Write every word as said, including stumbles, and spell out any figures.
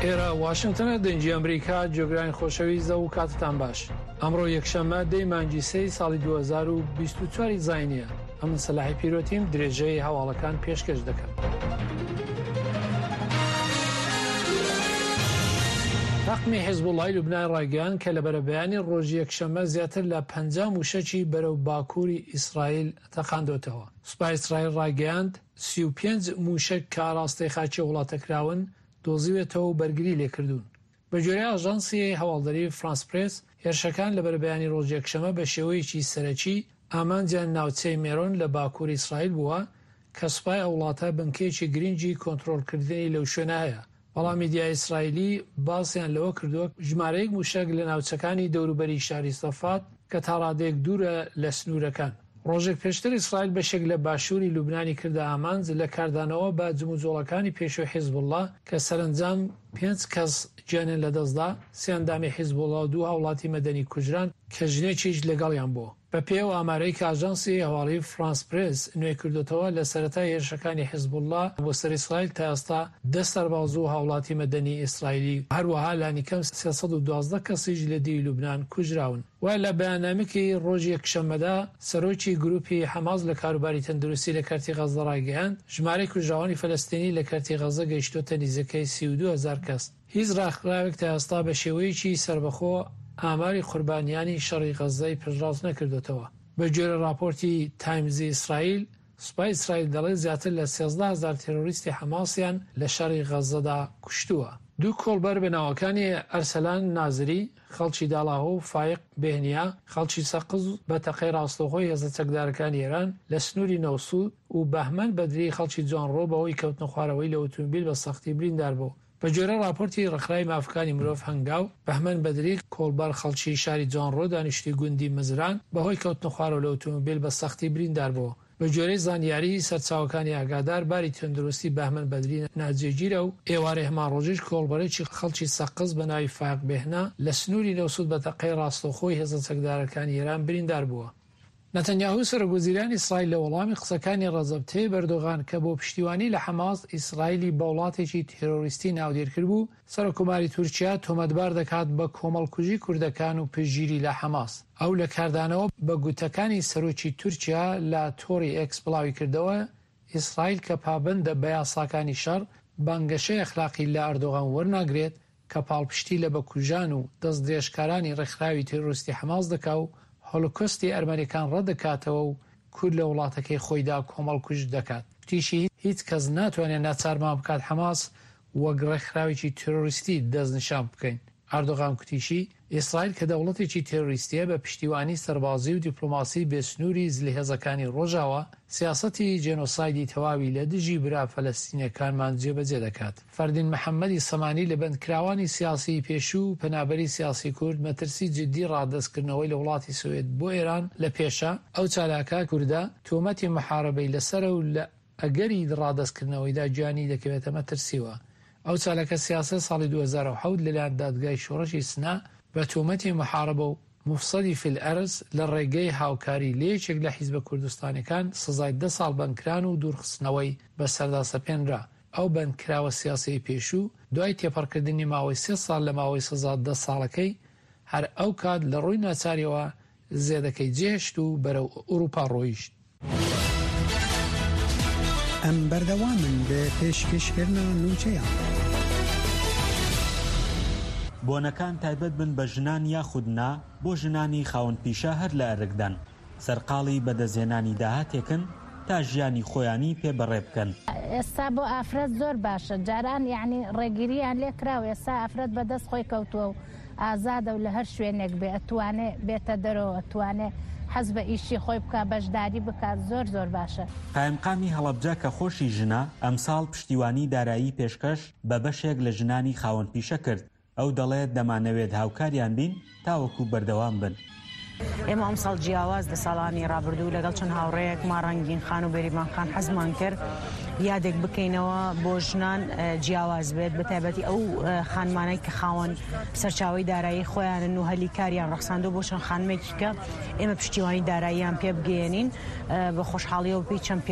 ئێرە واشنگتنە، دەنگی ئەمریکا. گوێگرانی خۆشەویست ئەو کاتتان باش. ئەمڕۆ یەکشەممە دەی مانگی سێی ساڵی دوو هەزار و بیست و چوار زاینیە. ئەمن سەلاحی پیرۆتیم درێژەی هەواڵەکان پێشکەش دەکەم. تاقمی حیزبوڵای لوبنان ڕایگەیاند کە لە بەرەبەیانی ڕۆژی یەکشەممە زیاتر لە پەنجا موشەکی بەرەو باکووری ئیسرائیل تەقاندۆتەوە. سوپای ئیسرائیل ڕایگەیاند سی و پێنج موشەک کە ئاراستەی خاکی وڵاتە کراون دۆزیوێتەوە و بەرگری لێکردوون. بە گوێرەی ئاژانسی هەواڵدەری فرانس پرێس، هێرشەکان لە بەرەبەیانی ڕۆژی یەکشەممە بە شێوەیەکی سەرەکی ئامانجیان ناوچەی مێرۆن لە باکووری ئیسرائیل بووە کە سوپای ئەو وڵاتە بنکەیەکی گرنگی کۆنترۆڵکردنی لەو شوێنە هەیە. بەڵام میدیای ئیسرائیلی باسیان لەوە کردووە ژمارەیەک موشەک لە ناوچەکانی دەوروبەری شاری سەفات کە تا ڕادەیەک دوورە لە سنوورەکان. ڕۆژێک پێشتر ئیسرائیل بەشێک لە باشووری لوبنانی کردە ئامانج لە کاردانەوە بە جموجۆڵەکانی پێشووی حیزبوڵڵا کە سەرەنجام پێنج کەس گیانیان لەدەستدا، سێ ئەندامی حیزبوڵڵا و دوو هاوڵاتی مەدەنی کوژران کە ژنێکیش لەگەڵیان بوو. بە پێی ئەو ئامارەی کە ئاژانسی هەواڵی فرانس پرێس نوێ کردوتەوە، لە سەرەتای هێرشەکانی حیزبوڵڵا بۆ سەر ئیسرائیل تا ئێستا دە سەرباز و هاوڵاتی مەدەنی ئیسرائیلی، هەروەها لانیکەم سێ سەد و دوازدە کەسیش لە دیوی لوبنان کوژراون. و لە بەیاننامەیەکی ڕۆژی یەکشەممەدا سەرۆکی گروپی حەماس لە کاروباری تەندروستی لە کەرتی غەززە ڕایگەیاند ژمارەی کوژراوانی فەلەستینی لە کەرتی غەززە گەیشتۆتە نزیکەی سی و دوو هەزار کەس. هیچ ڕێکخراوێک تا ئێستا بە شێوەیەکی سەربەخۆ ئاماری قوربانیانی شەڕی غەززەی پشتڕاست نەکردوتەوە. بە گوێرەی ڕاپۆرتی تایمزی ئیسرائیل، سوپای ئیسرائیل دەڵێت زیاتر لە سێزدە هەزار تێرۆریستی حەماسیان لە شەڕی غەززەدا کوشتووە. دوو کۆڵبەر بە ناوەکانی ئەرسەلان نازری خەڵکی داڵاهۆ و فایق بێهنیا خەڵکی سەقز بە تەقەی ڕاستەوخۆی هێزە چەکدارەکانی ئێران لە سنووری نەوسوود و بەهمەن بەدری خەڵکی جوانڕۆ بەهۆی کەوتنە خوارەوەی لە ئۆتۆمبیل بە سەختی بریندار بوو. بە گوێرەی ڕاپۆرتی ڕێکخراوی مافەکانی مرۆڤ هەنگاو، بەهمەن بەدری کۆڵبەر خەڵکی شاری جوانڕۆ دانیشتووی گوندی مزران بەهۆی کەوتنە خوارەوە لە ئۆتۆمبیل بە سەختی بریندار بوو. بە گوێرەی زانیاری سەرچاوەکانی ئاگادار، باری تەندروستی بەهمەن بەدری ناجێگیرە و ئێوارەی هەمان ڕۆژیش کۆڵبەرێکی خەڵکی سەقز بە ناوی فایق بێهنا لە سنووری نەوسوود بە تەقەی ڕاستەوخۆی هێزە چەکدارەکانی ئێران بریندار بووە. نەتەنیاهو سەرۆک وەزیرانی ئیسرائیل لە وەڵامی قسەکانی ڕەجەب تەیب ئەردۆغان کە بۆ پشتیوانی لە حەماس ئیسرائیلی بە وڵاتێکی تێرۆریستی ناودێر کردبوو، سەرۆککۆماری تورکیا تۆمەتبار دەکات بە کۆمەڵکوژی کوردەکان و پشتگیری لە حەماس. ئەو لە کاردانەوە بە گوتەکانی سەرۆکی تورکیا لە تۆڕی ئێکس بڵاوی کردەوە، ئیسرائیل کە پابەندە بە یاساکانی شەڕ، بانگەشەی ئەخلاقی لە ئەردۆغان وەرناگرێت کە پاڵپشتی لە بکوژان و دەستدرێژکارانی ڕێکخراوی تێرۆریستی حەماس دەکا و هۆلۆکۆستی ئەرمەنیەکان ڕەت دەکاتەوە و کورد لە وڵاتەکەی خۆیدا کۆمەڵکوژ دەکات. وتیشی هیچ کەس ناتوانێت ناچارمان بکات حەماس وەک ڕێکخراوێکی تێرۆریستی دەستنیشان بکەین. ئەردۆغان کوتیشی ئیسرائیل کە دەوڵەتێکی تێرۆریستیە بە پشتیوانی سەربازی و دیپلۆماسی بێسنووری زلهێزەکانی ڕۆژاوا سیاسەتی جێنۆسایدی تەواوی لە دژی برا فەلەستینیەکانمان جێبەجێ دەکات. فەردین محەممەدی سەمانی لە بەندکراوانی سیاسی پێشوو و پەنابەری سیاسی کورد مەترسی جدی ڕادەستکردنەوەی لە وڵاتی سوئد بۆ ئێران لە پێشە. ئەو چالاکە کوردە تۆمەتی محاربەی لەسەرە و لە ئەگەری ڕادەستکردنەوەیدا گیانی دەکەوێتە مەترسیوە. ئەو چالاکە سیاسە ساڵی دوو هەزار و حەوت لەلایەن دادگای شۆڕشی سنا بە تۆمەتی محاربە و مفسدی فی الارض لە ڕێگەی هاوکاری لە یەکێک لە حیزبە کوردستانەکان سزای دە ساڵ بەندکران و دوورخستنەوەی بەسەردا سەپێنرا. ئەو بەندکراوە سیاسی پێشوو دوای تێپەڕکردنی ماوەی سێ ساڵ لە ماوەی سزا دە ساڵەکەی هەر ئەو کات لە ڕووی ناچاریەوە زێدەکەی جێهێشت و بەرەو ئەوروپا ڕۆیشت. ئەم بەردەوامن لە پێشکەشکردنا نوچەیان. بۆنەکان تایبەت بن بە ژنان یاخود نا، بۆ ژنانی خاوەن پیشە هەر لە ئەرکدان سەرقاڵی بەدەستهێنانی داهاتێکن تا ژیانی خۆیانی پێ بەڕێ بکەن. ئێستا بۆ ئافرەت زۆر باشە، جاران یعنی ڕێگیریان لێکراوە، ئێستا ئافرەت بەدەست خۆی کەوتووە و ئازادە و لە هەر شوێنێک بێ ئەتوانێ بێتە دەرەوە، ئەتوانێ حەز بە ئیشی خۆی بکا، بەشداری بکات، زۆر زۆر باشە. قایمقامی هەڵەبجە کە خۆشی ژنە، ئەمساڵ پشتیوانی دارایی پێشکەش بە بەشێک لە ژنانی خاوەن پیشە کرد. ئەو دەڵێت دەمانەوێت هاوکاریان بین تاوەکو بەردەوام بن. ئێمە ئەمساڵ جیاواز لە ساڵانی ڕابردوو لەگەڵ چەند هاوڕێیەک ما ڕەنگین خان و بێریڤان خان حەزمان کرد یادێک بکەینەوە بۆ ژنان جیاواز بێت، بە تایبەتی ئەو خانمانەی کە خاوەن سەرچاوەی دارایی خۆیانن و هەلی کاریان ڕەخساندووە بۆ چەند خانمێکی کە ئێمە پشتیوانی داراییان پێ بگەیەنین بە خۆشحاڵیەوە پێی چەند پێ